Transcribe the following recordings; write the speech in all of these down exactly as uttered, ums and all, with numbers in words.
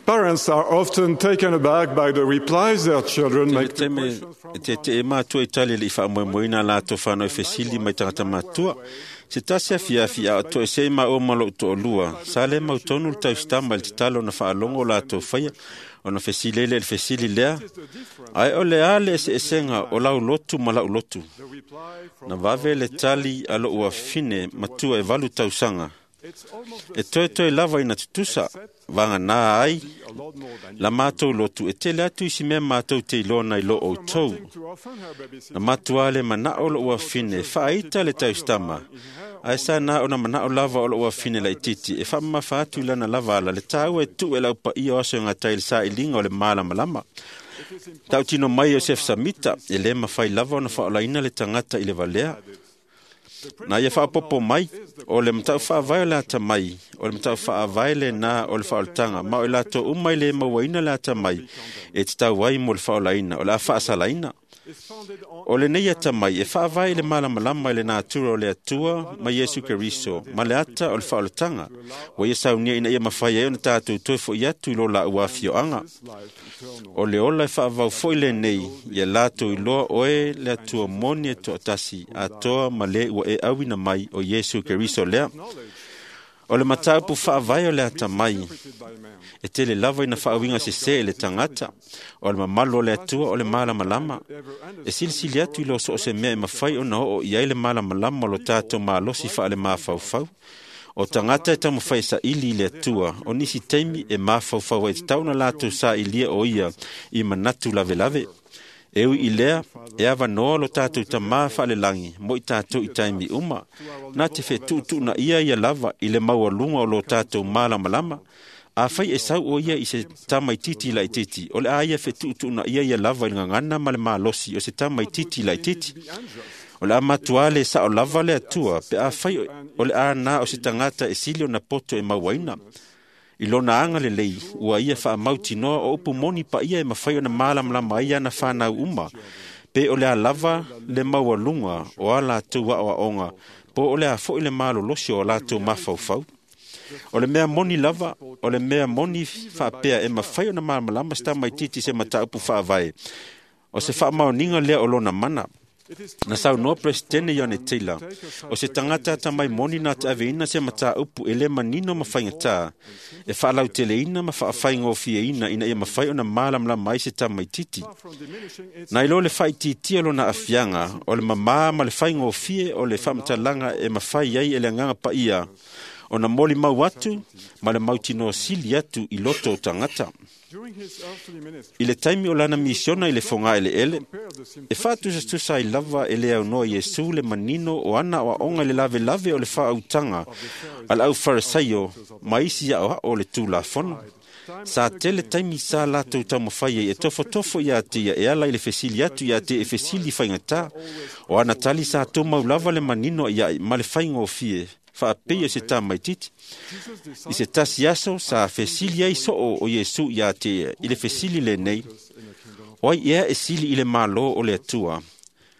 Parents are often taken aback by the replies their children Tele make to taimi questions from e teteʻe matua i tali e leʻi faamoemoeina a latou fanau e fesili mai tagata matutua. Se tasi afiafi a o toesē maʻua ma loʻu toʻalua, sa lē mautonu le tausitama i le tatalo ona faalogo o latou faia, ona fesili ai lea i le fesili lea, ae o le a le eseesega o lau lotu ma laʻu lotu? The reply from Na vave le tali a loʻu afine matua e valu tausaga, it's almost the e toetoe lava ina tutusa, vaganā ai a lot more than la matou lotu e tele atu isi mea matou te iloa nai lo outou. wanting to offend her babysitter. Na matua le manaʻo loʻu afine faaita le tausitama, ae sa na ona manaʻo lava o loʻu afine laitiiti e faamamafa atu i lana lava ala le tāua e tuu e laupaia o aso e gatai i le sailiga o le malamalama. Tautino mai Iosef Samita e lē mafai lava ona faaolaina le tagata i le valea. Na ia faapopo mai, o le matau faavae o le atamai, o le matau faavae lenā o le faaolataga, ma o i latou uma i le mauaina le atamai, e tatau ai mo le faaolaina, o le a faasalaina. Is founded on O lenei atamai e faavae i le malamalama i le natura o le Atua ma Iesu Keriso, ma le ata o le faaolataga, ua ia saunia ina ia mafai ai ona tatou toe foʻi atu i lo laua afioaga. this life eternal. O le ola e faavau foʻi lenei, ia latou iloa oe le Atua moni e toatasi, atoa ma le ua e auina mai o Iesu Keriso lea. Knowledge O le mataupu faavae o le atamai, interpreted by man. e tele lava ina faauiga sesē i le tagata, o le mamalu o le Atua o le malamalama. E silisili atu i lo so o se mea e mafai ona oo i ai le malamalama o lo tatou malosi faale-mafaufau. O tagata e taumafai e saili i le Atua, o nisi taimi e mafaufau ai tatau ona latou sailia o ia i manatu lavelave. E ui i lea, e avanoa lo tatou tamā faalelagi mo i tatou i taimi uma, na te fetuutuunaia ia lava i le maualuga o lo tatou malamalama. Afai e sau o ia i se tamaitiiti laitiiti, o le a ia fetuutuunaia ia lava i le gagana ma le malosi o se tamaitiiti laitiiti. O le a matuā le saʻo lava le Atua pe afai o le a na o se tagata e sili ona poto e mauaina. I lona aga lelei, ua ia faamautinoa o upu moni paia e mafai ona malamalama ai ana fanau uma, pe o le a lava le maualuga o a latou aoaoga, po o le a foʻi le malolosi o a latou mafaufau. O le mea moni lava, o le mea moni faapea e mafai ona malamalama se tamaitiiti i se mataupu faavae, o se faamaoniga lea o lona mana. It is Na saunoa Peresetene Ione Taylor, o se tagata atamai moni na te aveina se mataupu e lē manino ma faigatā, e faalauteleina ma faafaigofieina ina ia mafai ona malamalama ai se tamaitiiti. far from diminishing its Na ilo le faaitiitia lona aafiaga, o le mamā ma le faigofie o le faamatalaga e mafai ai e le Agaga Paia, ona molimau atu ma le mautinoa sili atu i loto o tagata. during his earthly ministry. I le taimi o lana misiona i le fogaeleele, Compare the e simplicity faatusatusa ai lava e le aunoa Iesu le manino o ana aoaoga i le lavelave o le faautaga a le aufarisaio ma isi aoao o le Tulafono. Sa tele taimi sa latou taumafai ai e tofotofo iā te ia e ala i le fesili atu iā te e fesili faigatā. O ana tali sa tumau lava le manino iaʻi ma le faigofie, faapei o se tamaitiiti. Jesus I se tasi aso sa fesili ai soo o Iesu iā te ia i le fesili lenei, in the kingdom of o ai ea e sili i le Mālō o le Atua.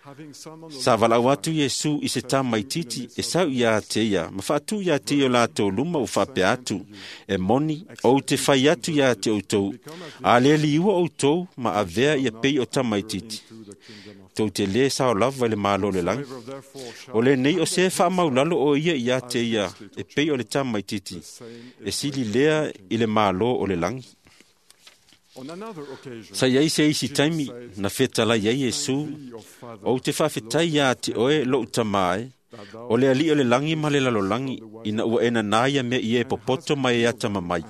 having summoned the Sa valaau atu Iesu i se tamaitiiti e sau iā te ia, ma faatu iā te ia o latou luma ua faapea atu, e moni, ou te fai atu iā te outou, a le liua outou ma avea ia pei o tamaitiiti. to the kingdom of Tou te lē sao lava i le Mālō o le lagi. Whoever therefore shall O lenei o se faamaulalo o ia iā te ia e pei o le tamaitiiti, e sili lea i le Mālō o le lagi. on another occasion Sa iai se isi taimi na fetalai ai Iesu, thee, O Father, ou te faafetai iā te oe loʻu tamā e, o le alii o le lagi ma le lalolagi, ina ua e nanā ia mea i e popoto ma e atamamai,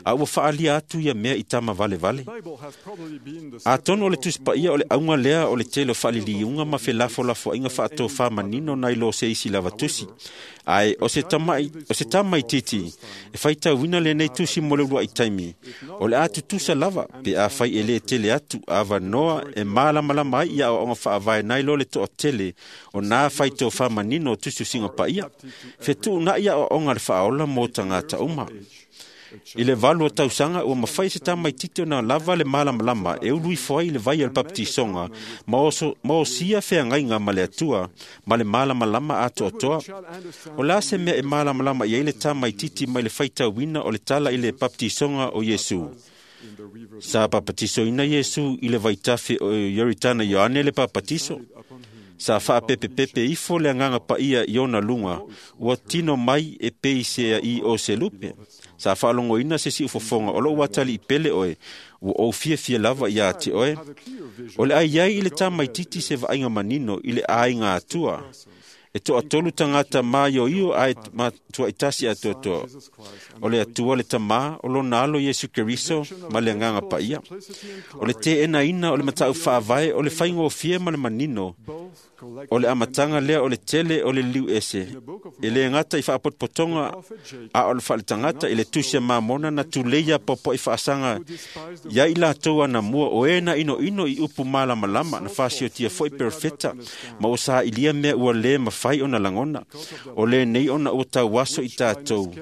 a ua faalia atu ia mea i tama valevale. Bible has probably been the Atonu o le Tusi Paia o le auga lea o le tele o faaliliuga ma felafolafoaiga faatofāmanino nai lo se isi lava tusi. Ae o se tamaʻi o se tamaitiiti e faitauina lenei tusi mo le uluaʻi taimi, o le a tutusa lava pe afai e lē tele atu avanoa e malamalama ai ia aoaoga faavae nai lo le toatele o nā faitofāmanino o tusitusiga paia. Fetuunaʻi aoaoga a le faaola mo tagata uma. I le valu o tausaga ua mafai se tamaitiiti ona lava le malamalama e ulu ifo ai i le vai o le papatisoga ma oso- ma osia feagaiga ma le Atua ma le malamalama atoatoa. shall understand O le a se mea e malamalama i ai le tamaitiiti mai le faitauina o le tala i le papatisoga o Iesu. Sa papatisoina Iesu i le vaitafe o Ioritana Ioane le papatiso. Sa faapepepepe ifo le agaga paia i ona luga, ua tino mai e pei sea i o se lupe. Sa faalogoina se siufofoga o lou atalii pele oe, ua ou fiafia lava iā te oe. O le ai ai i le tamaititi se vaaiga manino i le aiga Atua. E toatolu tagata maioio ae matuaitasi atoatoa. O le Atua le Tamā, o lona alo Iesu Keriso ma le agaga paia. O le teenaina o le matau faavae o le faigofie ma le manino. O le amataga lea o le tele o le liliu ese. E le gata i faapotopotoga a o le faaletagata i le tusi a Mamona na tuleia popo'i faasaga ia i latou anamua o e na inoino i upu malamalama na fasiotia foi perofeta ma ua sailia mea ua le mafai ona lagona. O lenei ona ua tauaso i tatou.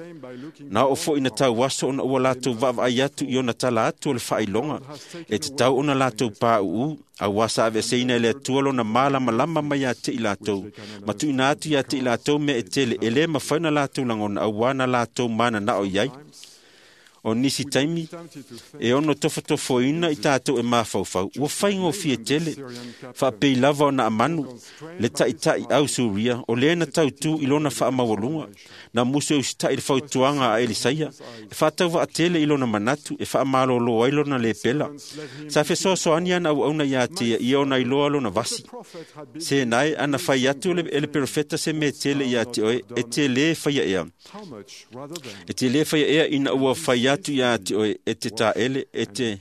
Na oo foi na tauaso ona ua latou vaavaai atu i ona tala atu o le faailoga. E tatau ona latou pauu, auā sa aveeseina e le Atua lona malamalama mai ia te i latou, ma tuuina atu ia te i latou mea e tele e lē mafai ona latou lagona auā na latou mananao i ai. O nisi taimi e ono tofotofoina i tatou e mafaufau, ua faigofie tele, faapei lava ona amanu le taʻitaʻi au Suria, o lē na tautū i lona faamaualuga, na musu e usitaʻi le fautuaga a Elisaia, e faatauvaatele i lona manatu, e faamalōlō ai lona lepela. Sa fesoasoani ana auauna iā te ia, ia ona iloa lona vasi. Se nae ana fai atu e le perofeta se mea tele iā te oe, e te lē faia ea. E te lē faia ea ina ua fai atu iā te oe, e te taele, e te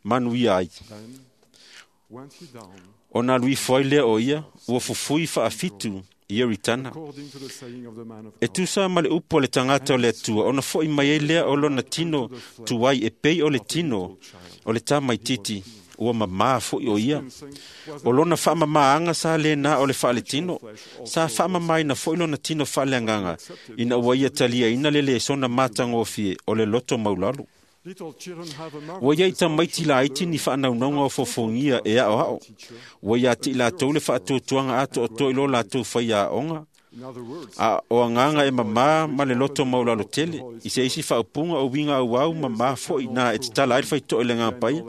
manuia ai. Ona alu ifo ai lea o ia, ua fufui faafitu i Ioritana. E tusa ma le upu a le tagata o le Atua, ona fo'i mai ai lea o lona tino tuai e pei o le tino o le tamaititi, ua mamā fo'i o ia. O lona faamamāaga sa lēnā o le faaletino, sa faamamāina fo'i lona tino faaleagaga, ina ua ia taliaina le lesona matagofie o le loto maulalo. Ua iai tamaiti laiti ni faanaunauga o fofogia e aoao. Ua iā te i latou le faatuatuaga atoatoa i lo latou faiaoga. A o agaga e mamā ma le loto maulalo tele, i se isi faaupuga o uiga auau mamā fo'i na e tatala ai le faito'a i le agaga paia.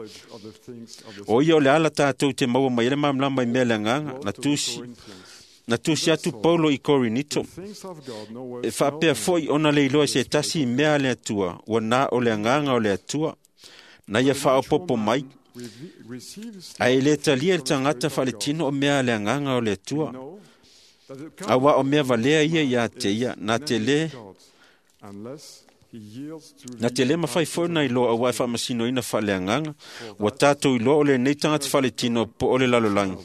O ia o le ala tatou te maua mai ai le malamalama i mea le agaga, na tusi na tusi atu Paulo i Korinito. E faapea fo'i ona le iloa e se tasi i mea a le Atua, ua na o le agaga o le Atua. Na ia faaopopo mai, ae e lē talia e le tagata faaletino o mea a le agaga o le Atua. Auā o mea valea ia iā te ia, na te lē na te lē mafai foi ona iloa auā e faamasinoina faaleagaga. Ua tatou iloa o lenei tagata faaletino po o le lalolagi.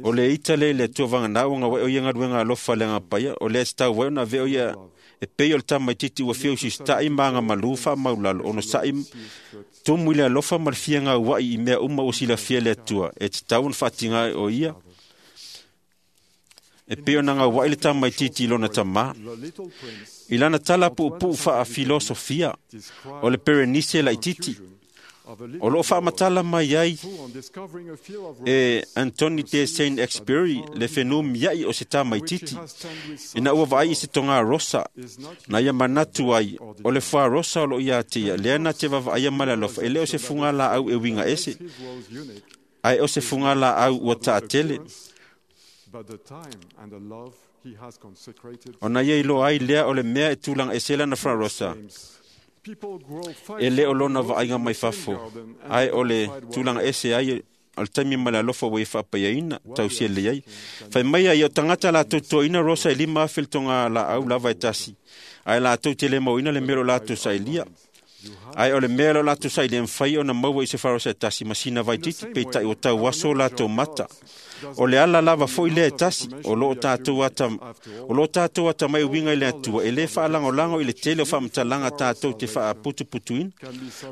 O le ita lea i le Atua vaganā ua gauai o ia galuega alofa le agaga paia, o lea e tatau ai ona avea o ia e pei o le tamaititi ua fia usisitaʻi ma agamalū faamaulalo, ona saʻi tumu i le alofa ma le fia gauaʻi i mea uma ua silafia e le Atua, e tatau ona faatiga o ia e pei ona gauaʻi le tamaititi i lona tamā. I lana tala puupuu faafilosofia o le Perenise laititi, o loo faamatala mai ai e Anthony de Saint-Exupéry le fenumiaʻi o se tamaititi ina ua vaai i se togā rosa na ia manatu ai o le fuā rosa o loo iā te ia lea na te vaavaaia ma le alofa e lē o se fugā laau e uiga ese ae o se fugā laau ua taatele. Ona ia iloa ai lea o le mea e tulaga ese lana fuā rosa e lē o lona vaaiga mai fafo ae o le tulaga ese ai o le taimi ma le alofa ua ia faapaiaina tausia lelei ai. Fai mai ai o tagata latou totoina rosa e lima afe le togā laau lava e tasi, ae latou te lē mauina le mea o lo latou sailia. Ae o le mea lo latou sailia e mafai ona maua i se farosa e tasi ma sina vaititi, peitai ua tauaso latou mata. O le ala lava fo'i lea e tasi, o loo tatou ata o loo tatou atamai uiga i le Atua, e lē faalagolago i le tele o faamatalaga tatou te faaputuputuina.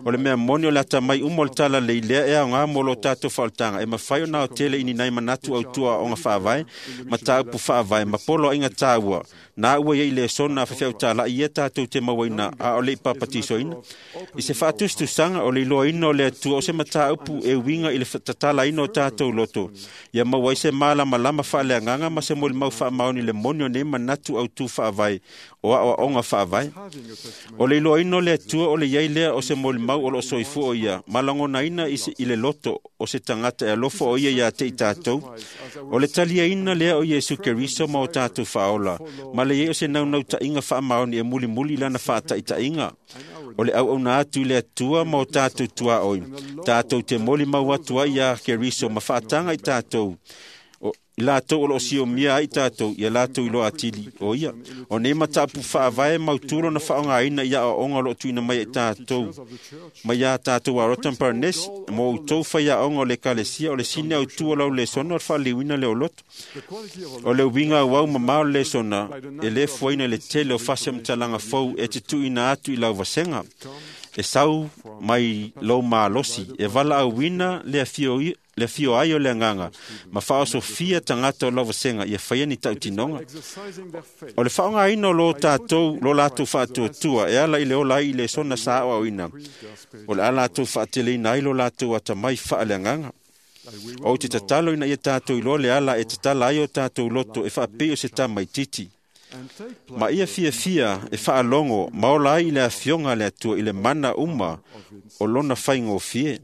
O le mea moni o le atamai uma o le talalelei lea e aogā mo lo tatou faaolataga, e mafai ona aotele i ni nai manatu autua aoga faavae, mataupu faavae ma poloaiga taua, na ua iai lesona a faifeau talaʻi ia tatou te mauaina a o le i papatisoina. I se faatusatusaga o le iloaina o le Atua o se mataupu e uiga i le tatalaina o tatou loto, ia maua ai se malamalama faaleagaga ma se molimau faamaoni i le moni o nei manatu autū faavae o aoaoga faavae. O le iloaina o le Atua o le i ai lea o se molimau o loo soifua o ia, ma lagonaina i le loto o se tagata e alofa o ia iā te i tatou. O le taliaina lea o Iesu Keriso ma o tatou faaola, ma le i ai o se naunautaiga faamaoni e mulimuli i lana faataitaiga. O le auauna atu i le Atua ma o tatou tuaoi, tatou te molimau atu ai iā Keriso ma faataga i tatou, i latou o loo siomia ai tatou, ia latou iloa atili o ia. O nei mataupu faavae mautū lona faaaogaina i aoaoga o loo tuuina mai ai tatou, mai iā tatou Arota ma Paranesi, mo outou faiaoga o le Ekalesia. O le sini autū o lau lesona o le faaliliuina lea o loto. O le uiga auau mamao o le lesona, e lē fuaina i le tele o faasematalaga fou e te tuuina atu i lau vasega. E sau mai lou malosi, e valaauina le afio, le afio ai o le agaga, ma faaosofia tagata o lau vasega ia faia ni tautinoga. O le faaaogaina o lo tatou, lo latou faatuatua e ala i le ola ai i lesona sa aoaoina, o le a latou faateleina ai lo latou atamai faaleagaga. Ou te tatalo ina ia tatou iloa le ala e tatala ai o tatou loto e faapei o se tamaititi. Ma ia fiafia e faalogo ma ola ai i le afioga a le Atua i le mana uma o lona faigofie.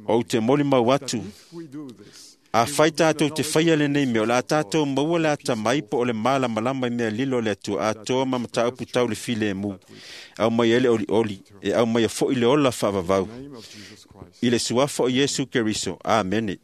Ou te molimau atu, afai tatou te faia lenei mea, o le a tatou maua le atamai po o le malamalama i mea lilo o le Atua atoa ma mataupu tau le filemu, aumai ai le olioli, e aumaia foi le ola faavavau. I le suafa o Iesu Keriso. Amene.